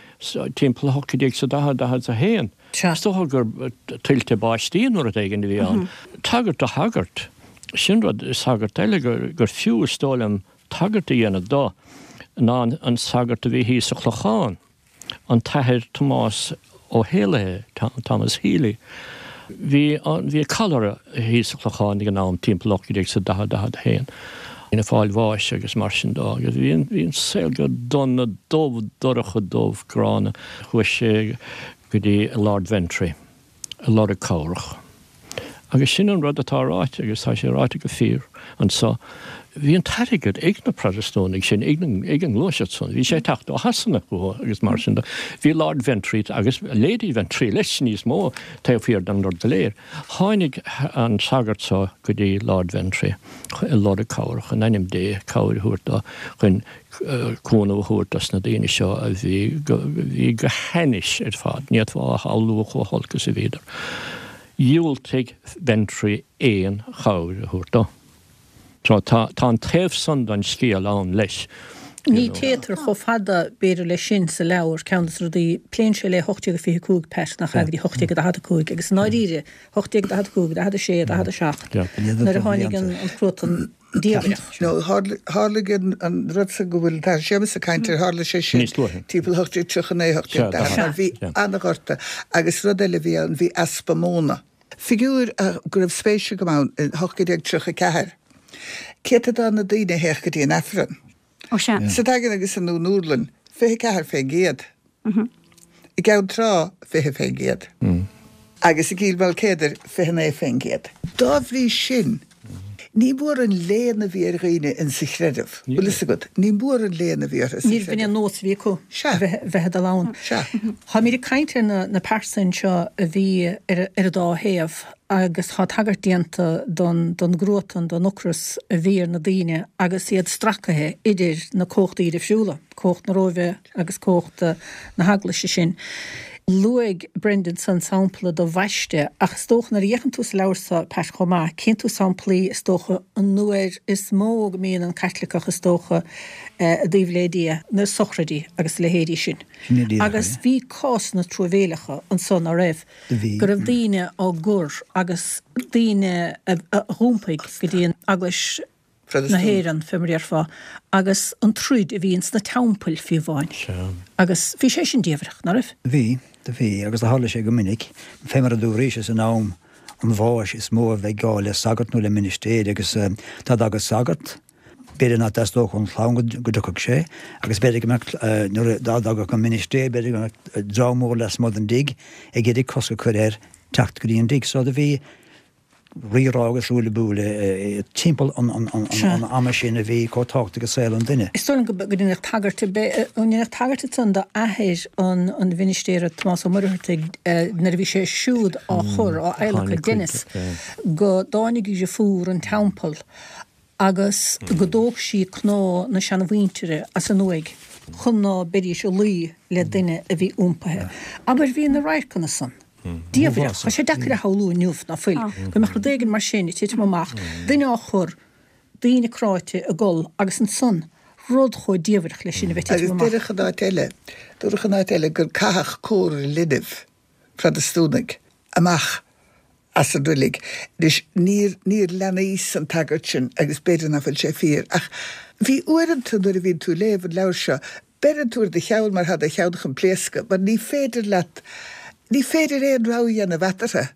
timpeall 1840, 41. Is dócha gur tuilte báistí nó rud éigin a bhí ann. Tagairt do shagart. Sin rud, sagart eile gur fiú, is dóigh liom, tagairt a dhéanamh dó, ná an sagart a bhí thíos sa Chlochán, an tAthair Tomás Ó hÉalaithe, Thomas Healy. Bhí, bhí cholera thíos sa Chlochán ag an am, timpeall 1840, 41. Ag fáil bháis agus mar sin dó agus bhí an, bhí an saol go dona dubh, dorcha dubh, gránna. Chuaigh sé go dtí Lord Ventry ag lorg cabhrach. Agus sin an rud atá ráite agus tá sé ráite go fíor anso. Bhí an t-airgead ag na Protastúnaigh sin, ag an ngluaiseacht san, bhí sé ag teacht ó Shasana chucu agus mar sin de. Bhí Lord Ventry agus Lady Ventry leis níos mó taobh thiar den rud go léir. Tháinig an sagart so go dtí Lord Ventry ag lorg cabhrach, in ainm Dé, cabhair a thabhairt dó chun cúnamh a thabhairt dos na daoine seo a bhí go, bhí go hainnis ar fad, ní fhéadfá a shamhlú chomh holc is a bhíodar. Dhiúltaigh Ventry aon chabhair a thabhairt dó. So tá, tá an taobh san den scéal ann leis, you Ní know. téitear chomh fada, b'fhéidir, leis sin sa leabhar. Ceann de na rudaí, pléann sé le 1825, Pat, nach ea, go dtí 1845, agus i ndáiríre, 1845, 46, 47, nuair a tháinig an cruatan diamhrach. No, tharlaigh an rud san go bhfuil an tAthair Séamus ag caint air, tharla sé sin timpeall 1839, 1840, mar bhí an-ghorta agus rud eile a bhí ann, bhí easpa móna. Figiúr go raibh spéis agam ann, in 1834, céatadán na daoine a théadh go dtí an Aifreann. Ó sea. Sa Daingean agus i nDún Úrlann, 24%. I gCeann Trá, 20%. Agus i gCill Mhaoilcéadair, 29%. Dá bhrí sin, ní mór an léan a bhí ar dhaoine insa chreideamh. Bhfuil fhios agat, ní mór an léan a bhí orthu sa Níorbh in chreideamh. aon nós a bhí acu Sea. bheith ag dul ann. Sea. Táimid ag caint ar na pearsain seo a bhí ar an dá thaobh agus tá tagairt déanta don gcruatan, don ocras a bhí ar na daoine agus iad stracaithe idir na cumhachtaí difriúla. cumhacht na Róimhe agus cumhacht na hEaglaise sin. Luaigh Brendan san sampla de bhaiste ach is dócha nuair a fhéachann tú sa leabhar seo, Pat, chomh maith, cíonn tú samplaí is dócha an uair is mó go mbíonn an Caitliceach is dócha i dtaobh le Dia, na sochraidí agus a leithéidí sin. Agus bhí cásanna truamhéileacha ansan, ná raibh? Go raibh daoine á gcur agus daoine a dh'iompaigh go dtí an Eaglais na hÉireann, fé mar a déarfá, agus an troid a bhí ins na teampaill fiú amháin. Agus bhí sé sin diamhrach, ná raibh? Bhí, do bhí, agus do tharla sé go minic, fé mar a dúraís, is in am an bháis is mó a bheidh gá le sagart nó le ministéir, agus dá dtagadh sagart, b'fhéidir nach dteastódh ón chlann go dtiocfadh sé, agus b'fhéidir go mbeadh, nuair a, dá dtagadh an ministéir, b'fhéidir go mbeadh dream mór lasmuigh den dtigh ag iarraidh cosc a chur air teacht go dtí an dtigh. So do bhí. rírá agus ruaille buaille timpeall an ama sin a bhí chomh tábhachtach i saol an duine. Is dóigh liom go ndéanadh tagairt, an ndéanadh tagairt ansan d'athair an mhinistéara, Tomás Ó Muircheartaigh, nuair a bhí sé siúd á chur, á adhlacadh, Denis, go dtáinig deirfiúr an teampaill agus go dtóg sí cnámha na seanamhuintire as an uaigh chun ná beidís ag luí le duine a bhí iompaithe. Abair, bhí na radharcanna san diamhrach. Tá sé deacair a shamhlú inniu, ná fuil, go mbeadh rud éigin mar sin ag titim amach, duine á chur, daoine cráite ag gol agus ansan rud chomh diamhrach leis sin a bheith ag titim amach. Agus dúradh in áit eile, dúradh in áit eile gur caitheadh córa linbh, Protastúnaigh, amach as an roilig. Anois, níor, níor leanaíos an tagairt sin agus b'fhéidir nach bhfuil sé fíor, ach bhí uaireanta nuair a bhíonn tú ag léamh an leabhair seo, beireann tú ar do cheann mar tá do cheann chun pléascadh, mar ní féidir leat, ní féidir aon rogha a dhéanamh eatarthu.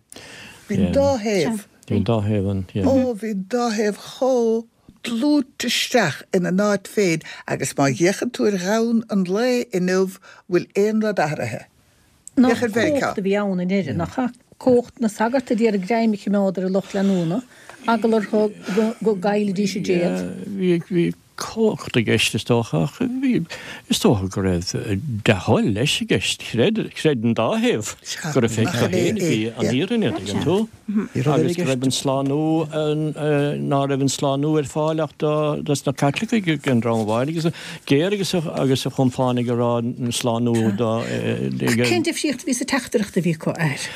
Bhí an dá thaobh. Bhí an dá thaobh ann, yeah. Ó, bhí an dá thaobh chomh dlúite isteach ina n-áit féin agus má fhéachann tú ar dhomhan an lae inniu, bhfuil aon rud athraithe? Nach cumhacht a bhí ann i ndeireadh, nach ea? Cumhacht na sagart a d'iarraidh greim a choimeád ar a lucht leanúna, eagla orthu go gcaillfidís a dtéad. Bhí cumhacht i gceist, is dócha, ach bhí, is dócha go raibh dea-thoil leis i gceist. Chreid, chreid an dá thaobh go raibh acu féin a bhí an fhírinne, an dtuigeann tú? Agus go raibh an slánú, ná raibh an slánú ar fáil ach do, dos na Caitlicigh ag an dream amháin agus Géar agus agus a chompánaigh ag rá an slánú do. Cén difríocht a bhí sa teachtaireacht a bhí acu, a fhir?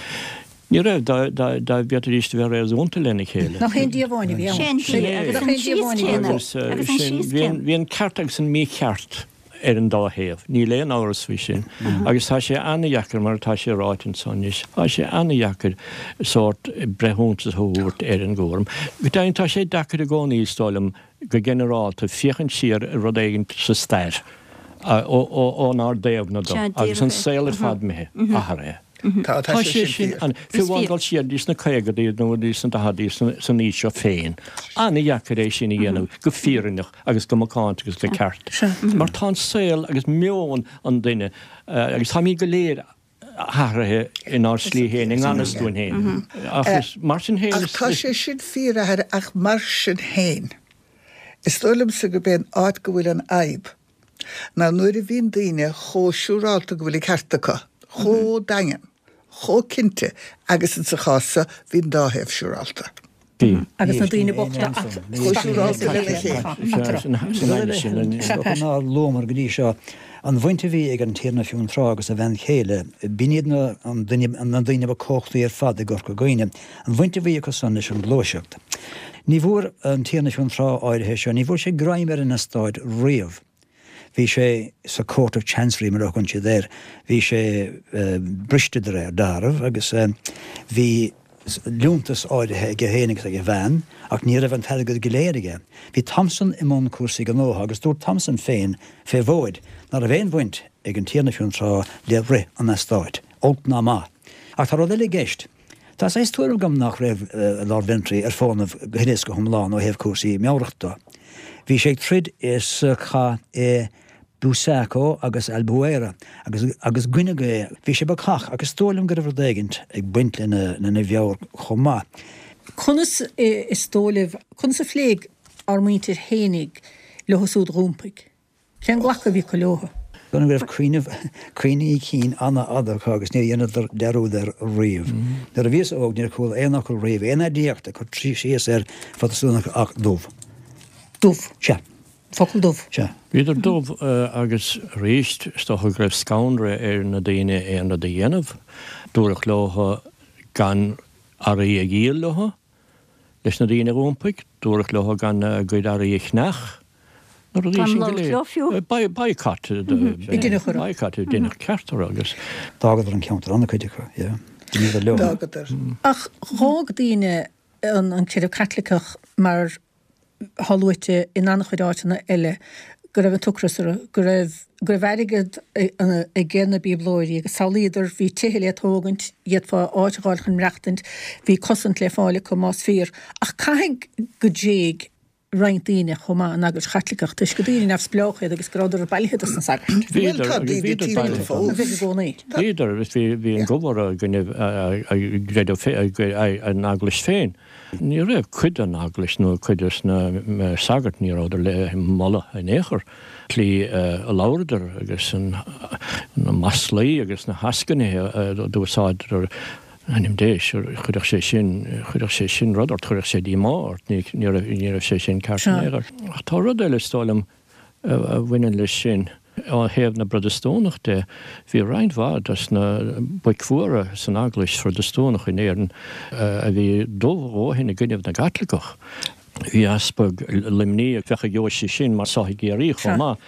Ní raibh, dá dá bhféadfaidís a bheith réasúnta lena chéile. Nach é an Dia amháin a bhí ann? Sé an Dia agus an síos céanna. Agus an síos céanna. Bhí an ceart agus an mícheart ar an dá thaobh, níl aon amhras faoi sin. Agus tá sé an-dheacair, mar atá sé ráite anso anois, tá sé an-dheacair sórt breithiúntas a thabhairt ar an gcúram. Go deimhin, tá sé deacair i gcónaí, is dóigh liom, go ginearálta, féachaint siar ar rud éigin sa stair ónár dtaobhna do, agus an saol ar fad imithe, athraithe. Tá, tá sé sin fíor. Fiú amháin dul siar dtí sna caogadaí nó dtí sna daicheadaí san aois seo féin, an-dheacair é sin a dhéanamh go fírinneach agus go macánta agus go ceart. Mar tá an saol agus meon an duine agus táimid go léir athraithe inár slí féin, i ngan fhios dúinn féin. Ach is mar sin féin is. Ach tá sé sin fíor, a Athair, ach mar sin féin, is dóigh liomsa gurb é an áit go bhfuil an fhadhb ná nuair a bhíonn daoine chomh siúrálta go bhfuil an ceart acu, chomh daingean, chomh cinnte agus insa chás seo, bhí an dá thaobh siúrálta. Bhí. Agus na daoine bochta ach Chomh siúrálta lena chéile. Nár luamar go dtí seo an bhaint a bhí ag an Tiarna Fionntrá agus a bhean chéile, b'in iad na daoine ba cumhachtaí ar fad i gCorca Dhuibhne, an bhaint a bhí acu san leis an ghluaiseacht. Ní bhfuair an Tiarna Fionntrá áirithe seo, ní bhfuair sé greim ar an eastát riamh. Bhí sé sa Court of Chancery mar a thugann siad air. Bhí sé briste de réir dealraimh agus bhí liúntas áirithe aige féin agus ag a bhean ach ní raibh an t-airgead go léir aige. Bhí Thompson i mbun cúrsaí gnótha agus dúirt Thompson féin fé mhóid ná raibh aon bhaint ag an Tiarna Fionntrá le rith an eastáit, olc ná maith. Ach tá rud eile i gceist. Tá saghas tuairim agam nach raibh Lord Ventry ar fónamh go huile is go hiomlán ó thaobh cúrsaí meabhrach de. Bhí sé ag troid sa chath i Busaco agus Albuera agus agus goineadh é. Bhí sé bacach ach is dóigh liom go raibh rud éigint ag baint lena lena mheabhair chomh maith. Conas is dóigh libh, conas a phléigh ár muintir fhéinig leo súd a dh'iompaigh? Cén glacadh a bhí acu leo? Go raibh cuimhne, cuimhní cinn an-fhada acu agus níor dheineadar dearúd air riamh. Nuair a bhíos óg níor chuala aon fhocal riamh, aon aidiacht ag cur síos ar Phrotastúnach ach dubh. Dubh. Sea. Focal dubh. Sea. Bhíodar dubh agus arís is dócha go raibh scanradh ar na daoine aon rud a dhéanamh. Dúradh leo gan earraí a dhíol leo. Leis na daoine a dh'iompaigh, dúradh leo gan a gcuid earraí a cheannach, na rudaí sin go léir. Boycott, boycott a deineadh ceart orthu agus. D'fhágadar an ceantar, an-chuid acu, yeah. D'imíodar leo. D'fhágadar. Ach dh'fhág daoine an creideamh Caitliceach mar thá luaite in an-chuid áiteanna eile go raibh an t-ocras orthu, go raibh, go raibh airgead aige na Bíoblóirí agus samhlaíodar, bhí tithe le tógaint, d'fhéadfá áit a dh'fháil chun maireachtaint, bhí cosaint le fáil acu más fíor. Ach caithfidh go dtréig roinnt daoine chomh maith an Eaglais Chaitliceach toisc gur daoine neamhspleách iad agus go rabhadar bailithe dos na sagairt. Bhíodar, agus bhíodar bailithe fós. Bhí i gcónaí. Bhíodar, agus bhí an gomh orthu i gcoinne a gcreideamh féin, an Eaglais féin. Ní raibh cuid den Eaglais nó cuid de na sagairt, ní rabhadar le moladh in aon chor. Tslí a labhradar agus na maslaí agus na heascainithe a d'úsáideadar, ainm Dé, chuirfeadh sé sin, chuirfeadh sé sin rud ort, chuirfeadh sé díomá ort, ní raibh, ní raibh sé sin ceart in aon chor. Ach tá rud eile, is dóigh liom, a bhaineann leis sin. Ó thaobh na bProtastúnach de, bhí roinnt mhaith dos na boic mhóra san Eaglais Phrotastúnach in Éirinn a bhí dubh a dhóthain i gcoinnibh na gCaitliceach. Bhí Easpag Luimní, a bheadh i ndeoise sin mar seo i gCiarraí chomh maith,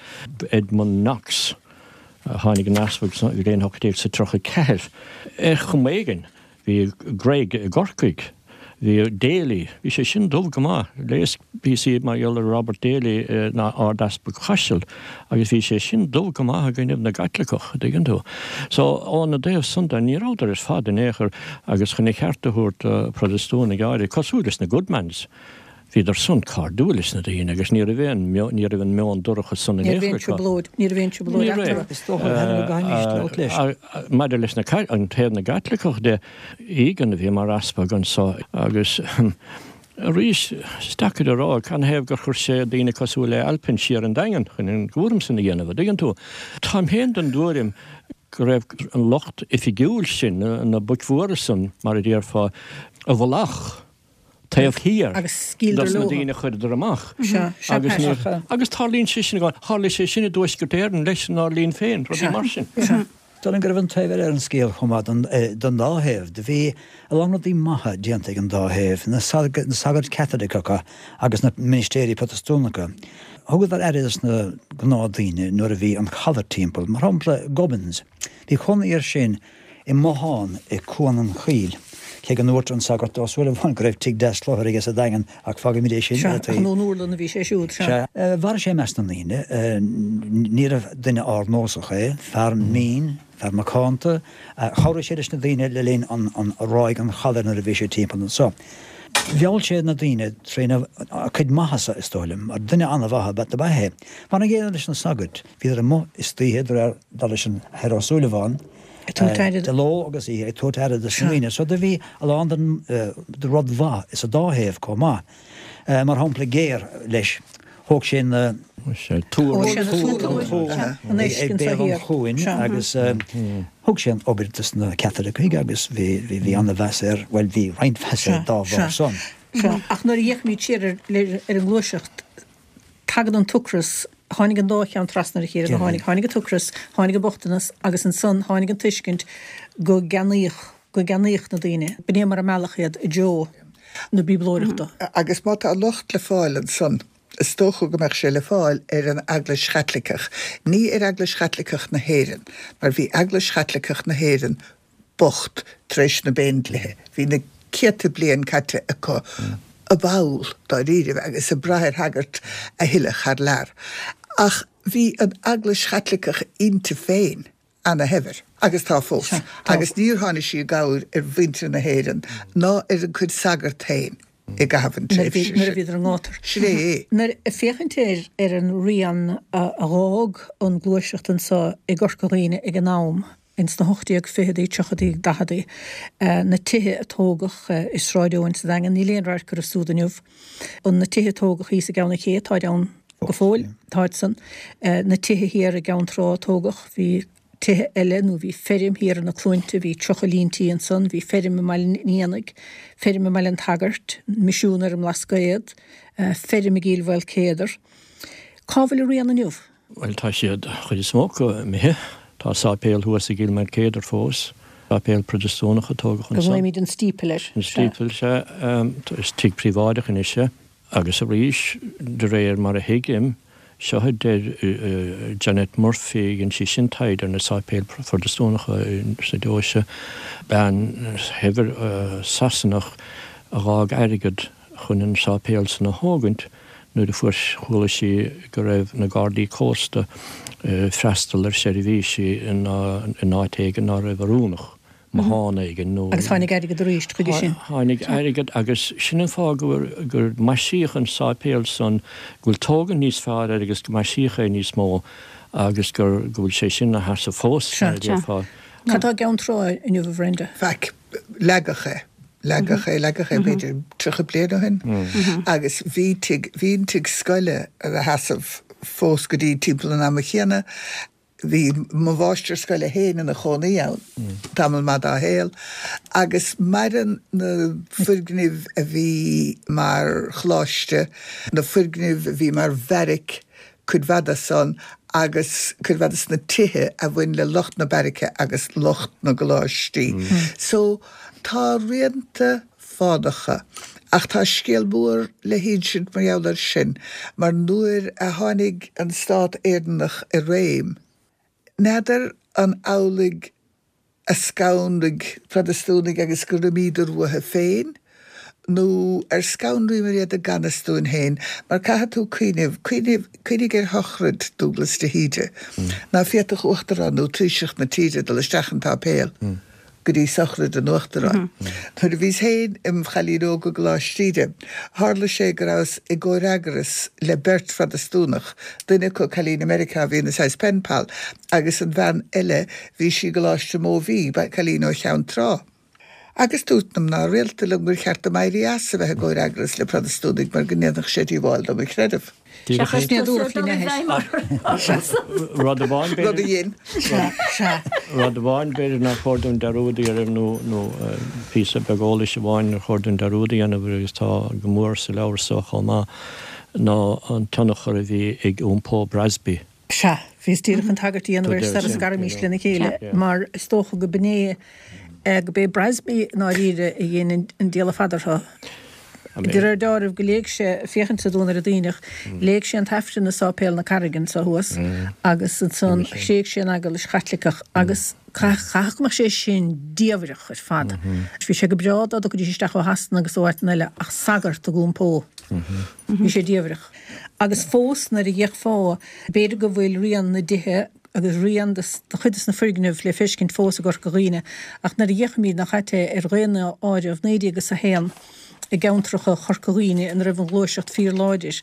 Edmund Knox, a tháinig ina easpag sa bhliain 1834. Ar chuma éigin, Bhí Gregg i gCorcaigh. Bhí Daly, bhí sé sin dubh go maith. Léas píosaí mar gheall ar Robert Daly ina Ard-Easpag Chaisil agus bhí sé sin dubh go maith i gcoinnibh na gCaitliceach, a dtuigeann tú. So, óna dtaobh san de, ní rabhadar ar fad in aon chor agus chun a cheart a thabhairt do Phrotastúnaigh áirithe, cosúil leis na Goodmans, Bhíodar san cairdiúil leis na daoine agus ní raibh aon, ní raibh an meon dorcha san in aon chor acu. Ní raibh aon trioblóid, ní raibh aon trioblóid eatarthu. Is dócha go gcaithfimís labhairt leis. Maidir leis na, an taobh na gCaitliceach de, Egan a bhí mar easpag anso agus arís is deacair a rá canathaobh gur chuir sé daoine cosúil le Alpin siar an Daingean chun an cúram san a dhéanamh, a dtuigeann tú. Táim féin den dtuairim go raibh an lucht oifigiúil sin, na boic mhóra san, mar a déarfá, i bhfolach. taobh thiar dos na daoine a chuireadar amach. Agus tarlaíonn sé sin, tharla sé sin i dTuaisceart Éireann leis inár linn féin, rudaí mar sin. Dóigh liom go raibh an taobh eile ar an scéal chomh maith don dá thaobh. Do bhí a lán rudaí maithe déanta ag an dá thaobh, na sagairt Chaitliceacha agus na ministéirí Protastúnacha. Thugadar aire dos na gnáthdaoine nuair a bhí an chalar timpeall. Mar shampla, Gubbins. Bhí cónaí air sin i mbothán i Cuan an Choill, cé go ndúirt an sagart Ó Súilleabháin go raibh tigh deas cluthar aige sa Daingean, ach fágfaimid é sin ar an taobh. Sea, ach ón úrlann a bhí sé siúd, sea. Sea. Mhair sé i measc na ndaoine. Níorbh duine ardnósach é, fear mín. Fear macánta. Chabhraigh sé leis na daoine le linn an ráig an chalair nuair a bhí sé timpeall anso. Mheall sé na daoine tréna chuid maitheasa, is dóigh liom, mar duine an-mhaith ab ea é. Mar an gcéanna leis na sagairt, bhíodar amuigh istoíche de réir dar leis an Athair Ó Súilleabháin, de ló agus oíche ag tabhairt aire dos na daoine. So do bhí a lán den rud mhaith sa dá thaobh chomh maith. Mar shampla géar leis, thóg sé na. Túr an ag béal an chuain agus thug sé an obair dos na Caitlicigh agus bhí an-mheas air, bhuel bhí roinnt mheas air dá bharr san. Sea, ach nuair a fhéachaimid siar ar an ngluaiseacht, tagann an t-ocras, tháinig an dá cheann trasna ar a chéile, tháinig, tháinig an t-ocras, tháinig an bochtanas agus ansan tháinig an tuiscint go gceannaíodh, go gceannaíodh na daoine. B'in é mar a mealladh iad i dtreo na bíoblóireachta. Agus má tá locht le fáil ansan, is dócha go mbeadh sé le fáil ar an Eaglais Chaitliceach. Ní ar Eaglais Chaitliceach na hÉireann, mar bhí Eaglais Chaitliceach na hÉireann bocht tar éis na bPéindlíthe. Bhí na céadta bliain caite acu i bpoll, dáiríribh, agus ag brath ar shagairt a thuilleadh thar lear. Ach bhí an Eaglais Chaitliceach inti féin ana-shaibhir, agus tá fós, agus níor tháinig sí i gcabhair ar mhuintir na hÉireann ná ar a cuid sagart féin i gcaitheamh an tréimhse sin. Nuair a bhíodar i ngátar. Sin é é. Nuair a féachaint ar ar an rian a dh'fhág an gluaiseacht anso i gCorca Dhuibhne ag an am, ins na 1820idí, tríochaidí, daicheadaí, na tithe a tógadh i Sráid Eoin sa Daingean, níl aon radharc orthu súd inniu. An na tithe a tógadh thíos i gCeann an Ché, táid ann go fóill, táid san. Na tithe thiar i gCeann Trá a tógadh, bhí tithe eile nó bhí feirm thiar ar na Cluainte, bhí 30 líon tí ansan, bhí feirm i mBaile an Éanaigh, feirm i mBaile an tSagairt, misiún ar an mBlascaod, feirm i gCill Mhaoilcéadair. Cá bhfuil a rian inniu? Bhuel, tá siad, chuid is mó acu, imithe. Tá sáipéal thuas i gCill Mhaoilcéadair fós, sáipéal Protastúnach a tógadh ansan. Glaoimid an Steeple air. An Steeple, sea. Is tigh príobháideach anois é. Agus arís, de réir mar a thuigim, seo a deir Janet Murphy, dhein sí sin taighde ar na sáipéil Phrotastúnacha sa deoise, bean shaibhir Sasanach a dh'fhág airgead chun an sáipéal san a thógaint nuair a fuair, chuala sí go raibh na Gardaí Cósta ag freastal ar seirbhísí in áit éigin ná raibh oiriúnach, bothán éigin nó. Agus tháinig airgead arís chuige sin. Tháinig airgead agus sin an fáth go gur maisíodh an sáipéal san, go bhfuil tógaint níos fearr air agus go maisíodh é níos mó agus gur, go bhfuil sé sin ina sheasamh fós, mar a déarfá. Cad tá i gCeann Trá inniu, a Bhrenda? Faic. Leagadh é. Leagadh é, leagadh é b'fhéidir 30 bliain ó shin agus bhí tigh, bhí an tigh scoile ina sheasamh fós go dtí timpeall an ama chéanna. Bhí mo mháistir scoile féin ina chónaí ann tamall maith dá shaol agus maireann na foirgnimh a bhí mar choláiste, na foirgnimh a bhí mar bheairic, cuid mhaith de san agus cuid mhaith de na tithe a bhain le lucht na beairice agus lucht na gcoláistí. So, tá rianta fánacha. Ach tá scéal mór le hinsint mar gheall air sin, mar nuair a tháinig an stát Éireannach i réim, n'fheadar an amhlaidh a scanraigh Protastúnaigh agus gur imíodar uathu féin, nó ar scanraíomar iad i gan fhios dúinn féin? Mar caithfidh tú cuimhneamh, cuimhnigh, cuimhnigh ar shochraid Dúglas de hÍde. Ná féadfadh Uachtarán nó Taoiseach na tíre dul isteach an tsáipéal go dtí sochraid an Uachtaráin. Nuair a bhíos féin im chailín óg i gColáiste Íde, tharla sé go rabhas i gcomhfhreagras le beirt Phrotastúnach, duine acu cailín i Meiriceá a bhí ina saghas pen pal, Agus an bhean eile, bhí sí i gColáiste Mobhí, cailín ó Cheann Trá. Agus dúirt na mná rialta liom gur cheart dom éirí as a bheith i gcomhfhreagras le Protastúnaigh mar go ndéanfadh sé díobháil do mo chreideamh. Seachas tusa dul i bhfeidhm orthu. Rud amháin Rud a dhein. Rud amháin b'fhéidir nár chóir dúinn dearúd a dhéanamh nó nó píosa beag eolais amháin nár chóir dúinn dearúd a dhéanamh agus tá go mór sa leabhar so chomh maith ná an tionchar a bhí ag iompó Brasby. Sea, bhíos díreach chun tagairt a dhéanamh air sara scaraimis lena chéile, mar is dócha go b'in é, go b'é Brasby i ndáiríre a dhein an diabhal fada orthu. De réir deáraimh go léigh sé, féachaint sa Duanaire Duibhneach, léigh sé an tAifreann i Sáipéal na Carraige anso thuas agus ansan thréig sé an Eaglais Chaitliceach agus caithfidh go mbeadh sé sin diamhrach ar fad. Bhí sé go breá dá dtiocfaidís isteach ó Shasana agus ó áiteanna eile ach sagart ag iompó. Bhí sé diamhrach. Agus fós nuair a d'fhéachfá, b'fhéidir go bhfuil rian na dtithe. agus rian de chuid de na foirgnimh le feiscint fós i gCorca Dhuibhne, ach nuair a fhéachaimid nach ait é ar dhaonáireamh 1901 i gceantracha Chorca Dhuibhne ina raibh an ghluaiseacht fíorláidir,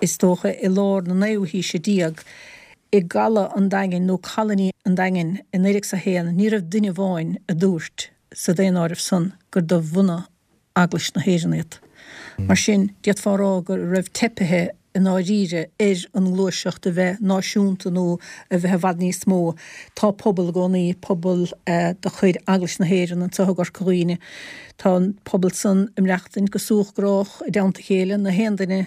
is dócha i lár na naoú haoise déag, i gCaladh an Daingin nó Colony an Daingin i 1901 ní raibh duine amháin a dúirt sa daonáireamh san gur de bhunadh Eaglais na hÉireann iad. Mar sin, d'fhéadfá a rá go raibh teipithe i ndáiríre ar an ngluaiseacht a bheith náisiúnta nó a bheith i bhfad níos mó. Tá pobal i gcónaí, pobal de chuid Eaglais na hÉireann anseo i gCorca Dhuibhne. Tá an pobal san ag maireachtaint go súch grách i dteannta a chéile, na haon duine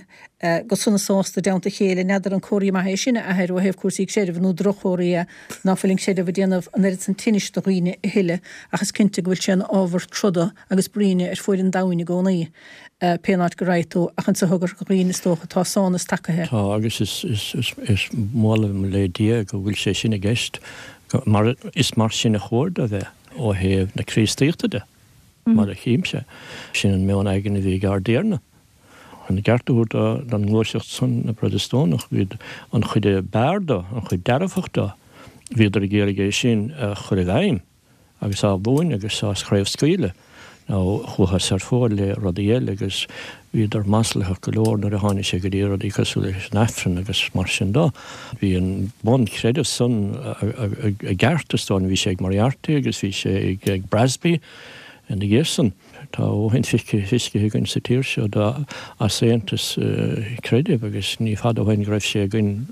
go sona sásta i dteannta a chéile. N'fheadar an comhartha maith é sin, a Athair, ó thaobh cúrsaí creidimh nó droch-chomhartha é ná fuil an creideamh ag déanamh an oiread san tinnis do dhaoine a thuilleadh ach is cinnte go bhfuil sé ina ábhar troda agus bruíne ar fuaid an domhain i gcónaí, pé áit go raghaidh tú, ach anseo i gCorca Dhuibhne is dócha tá sánas tagaithe. Tá, agus is molaim le Dia go bhfuil sé sin i gceist, mar is mar sin a chóir dó bheith ó thaobh na Críostaíochta de, mar a chímse. Sin an meon aigne a bhí ag ár dTiarna. Chun a gceart a thabhairt don ngluaiseacht san, na Protastúnach, bhíod an chuid a b'fhearr do, an chuid dearfach do, bhíodar ag iarraidh é sin a chur i bhfeidhm agus á mhúineadh agus á chraobhscaoileadh. Now chuathas ar fóir le rudaí eile agus bhíodar maslaitheach go leor nuair a tháinig sé go dtí rudaí cosúil leis an Aifreann agus mar sin do. Bhí an bunchreideamh san i gceart is dóigh liom, bhí sé ag Moriarty agus bhí sé ag Brasby ina dhiaidh san. Tá a dhóthain feiscithe againn sa tír seo d'easaontas creidimh agus ní fada ó shin go raibh sé againn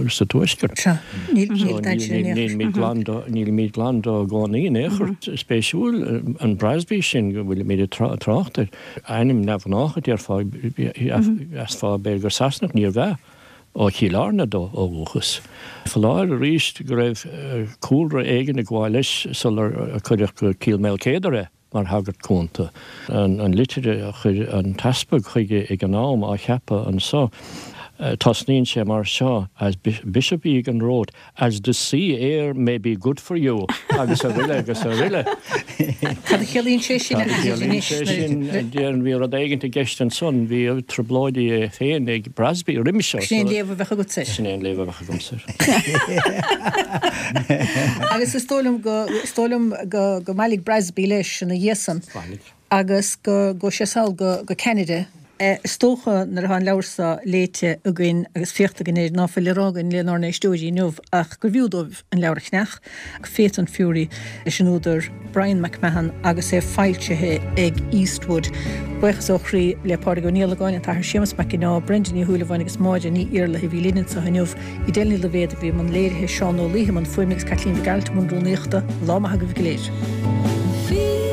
sa Tuaisceart. Sea, níl glan dó, nílimid glan dó i gcónaí in aon chor. Spéisiúil an Brasby sin go bhfuilimid ag trácht air. Ainm neamhghnách a déarfá, mheasfá b'fhéidir gur Sasanach, níorbh ea. Ó Chill Airne dó ó dhúchas. Foláir arís go raibh cúlra éigin ag gabháil leis sular cuireadh go Cill Maoilchéadair é mar shagart cúnta. An litir a chuir an t-easpag chuige ag an am á cheapadh anso, tosnaíonn sé mar seo, As Bishop Egan wrote, As the sea air may be good for you agus aroile agus aroile. Cad a chiallaíonn sé sin a Cad a chiallaíonn sé sin? Déarfainn bhí rud éigint i gceist ansan, bhí trioblóidí é féin ag Brasby roimhe seo. Sin é an léamh a bheadh agatsa air. Sin é an léamh a bheadh agamsa air. Agus is dóigh liom go, is dóigh liom go, go mbailigh Brasby leis ina dhiaidh san. Bhailigh. Agus go gcuaigh sé sall go, go Ceanada. Is dócha nuair atá an leabhar seo léite againn agus féachta againn air ná fuil le rá againn lenár n-éisteoirí inniu ach gur bhfiú dóibh an leabhar a cheannach, Faith and Fury leis an údar Brian McMahon agus é foilsithe ag Eastwood. Buíochas ó chroí le Pádraig Ó Niallagáin, an tAthair Séamus Mac Ginneá, Brenda Ní Shúilleabháin agus Máire Ní Iarlaithe a bhí linn anseo inniu. Edel Ní Loibhéad a bhí i mbun léirithe, Seán Ó Laoithe i mbun fuaime agus Caitlín Mhic Gearailt i mbun rúnaíochta. Lá maith agaibh go léir.